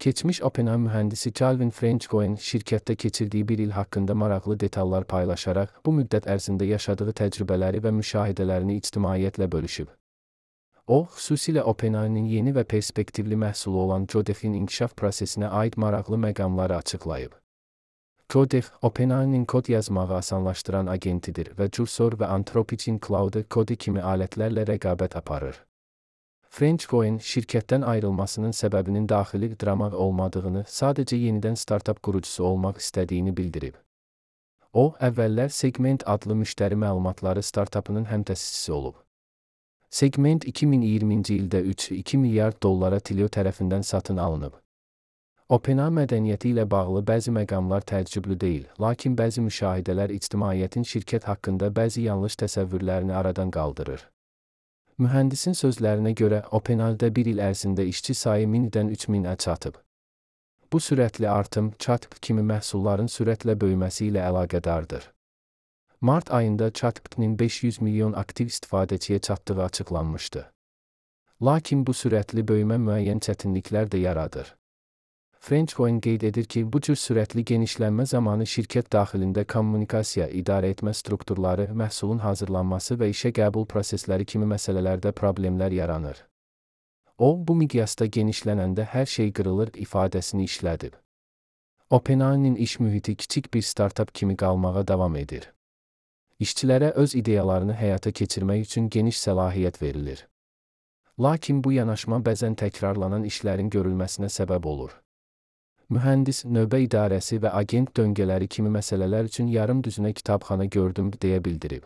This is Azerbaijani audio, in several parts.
Keçmiş OpenAI mühəndisi Calvin Frenchcoin şirkətdə keçirdiyi bir il haqqında maraqlı detallar paylaşaraq, bu müddət ərzində yaşadığı təcrübələri və müşahidələrini ictimaiyyətlə bölüşüb. O, xüsusilə OpenAI-nin yeni və perspektivli məhsulu olan Codec-in inkişaf prosesinə aid maraqlı məqamları açıqlayıb. Codec, OpenAI-nin kod yazmağı asanlaşdıran agentidir və Cursor və Anthropic Claude Code kimi alətlərlə rəqabət aparır. Frenchcoin şirkətdən ayrılmasının səbəbinin daxili drama olmadığını, sadəcə yenidən startup qurucusu olmaq istədiyini bildirib. O, əvvəllər Segment adlı müştəri məlumatları startupının həmtəsisçisi olub. Segment 2020-ci ildə 3,2 milyard dollara Twilio tərəfindən satın alınıb. OpenAI mədəniyyəti ilə bağlı bəzi məqamlar təəccüblü deyil, lakin bəzi müşahidələr ictimaiyyətin şirkət haqqında bəzi yanlış təsəvvürlərini aradan qaldırır. Mühəndisin sözlərinə görə, OpenAI-də bir il ərzində işçi sayı 1000-dən 3000-ə çatıb. Bu sürətli artım, ChatGPT kimi məhsulların sürətlə böyüməsi ilə əlaqədardır. Mart ayında ChatGPT-nin 500 milyon aktiv istifadəçiyə çatdığı açıqlanmışdı. Lakin bu sürətli böyümə müəyyən çətinliklər də yaradır. Frenchcoin qeyd edir ki, bu cür sürətli genişlənmə zamanı şirkət daxilində kommunikasiya, idarəetmə strukturları, məhsulun hazırlanması və işə qəbul prosesləri kimi məsələlərdə problemlər yaranır. O, bu miqyasda genişlənəndə hər şey qırılır ifadəsini işlədib. OpenAI-nin iş mühiti kiçik bir startup kimi qalmağa davam edir. İşçilərə öz ideyalarını həyata keçirmək üçün geniş səlahiyyət verilir. Lakin bu yanaşma bəzən təkrarlanan işlərin görülməsinə səbəb olur. Mühəndis, növbə idarəsi və agent döngələri kimi məsələlər üçün yarım düzünə kitabxana gördüm deyə bildirib.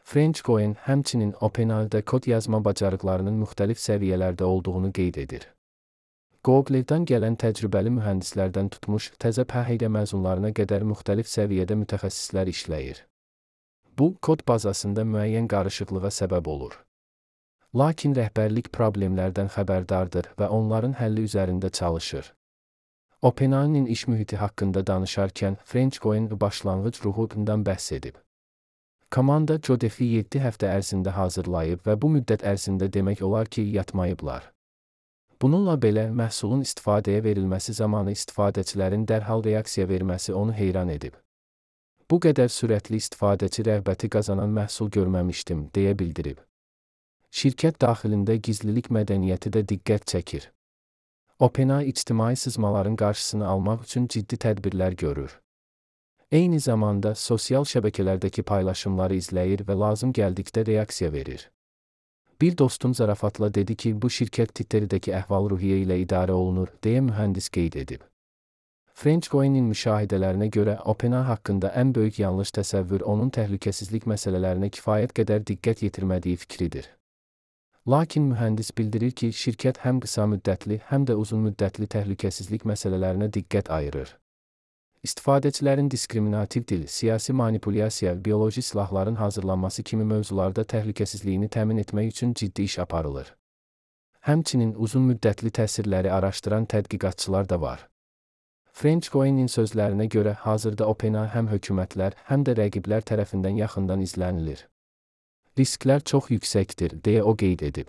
Frenchcoin həmçinin OpenAI-də kod yazma bacarıqlarının müxtəlif səviyyələrdə olduğunu qeyd edir. Google-dan gələn təcrübəli mühəndislərdən tutmuş, təzə pəhiyyə məzunlarına qədər müxtəlif səviyyədə mütəxəssislər işləyir. Bu, kod bazasında müəyyən qarışıqlığa səbəb olur. Lakin rəhbərlik problemlərdən xəbərdardır və onların həlli üzərində çalışır. OpenAI-nin iş mühiti haqqında danışarkən, Frenchcoin başlanğıc ruhundan bəhs edib. Komanda Codec-i 7 həftə ərzində hazırlayıb və bu müddət ərzində demək olar ki, yatmayıblar. Bununla belə, məhsulun istifadəyə verilməsi zamanı istifadəçilərin dərhal reaksiya verməsi onu heyran edib. Bu qədər sürətli istifadəçi rəğbəti qazanan məhsul görməmişdim, deyə bildirib. Şirkət daxilində gizlilik mədəniyyəti də diqqət çəkir. OpenAI ictimai sızmaların qarşısını almaq üçün ciddi tədbirlər görür. Eyni zamanda sosial şəbəkələrdəki paylaşımları izləyir və lazım gəldikdə reaksiya verir. Bir dostum zarafatla dedi ki, bu şirkət Twitter'dəki əhval-ruhiyyə ilə idarə olunur, deyə mühəndis qeyd edib. Frenchcoin-in müşahidələrinə görə OpenAI haqqında ən böyük yanlış təsəvvür onun təhlükəsizlik məsələlərinə kifayət qədər diqqət yetirmədiyi fikridir. Lakin mühəndis bildirir ki, şirkət həm qısa müddətli, həm də uzun müddətli təhlükəsizlik məsələlərinə diqqət ayırır. İstifadəçilərin diskriminativ dil, siyasi manipulyasiya, bioloji silahların hazırlanması kimi mövzularda təhlükəsizliyini təmin etmək üçün ciddi iş aparılır. Həmçinin uzun müddətli təsirləri araşdıran tədqiqatçılar da var. Frenchcoin-in sözlərinə görə, hazırda OpenAI həm hökumətlər, həm də rəqiblər tərəfindən yaxından izlənilir. Risklər çox yüksəkdir, deyə o qeyd edib.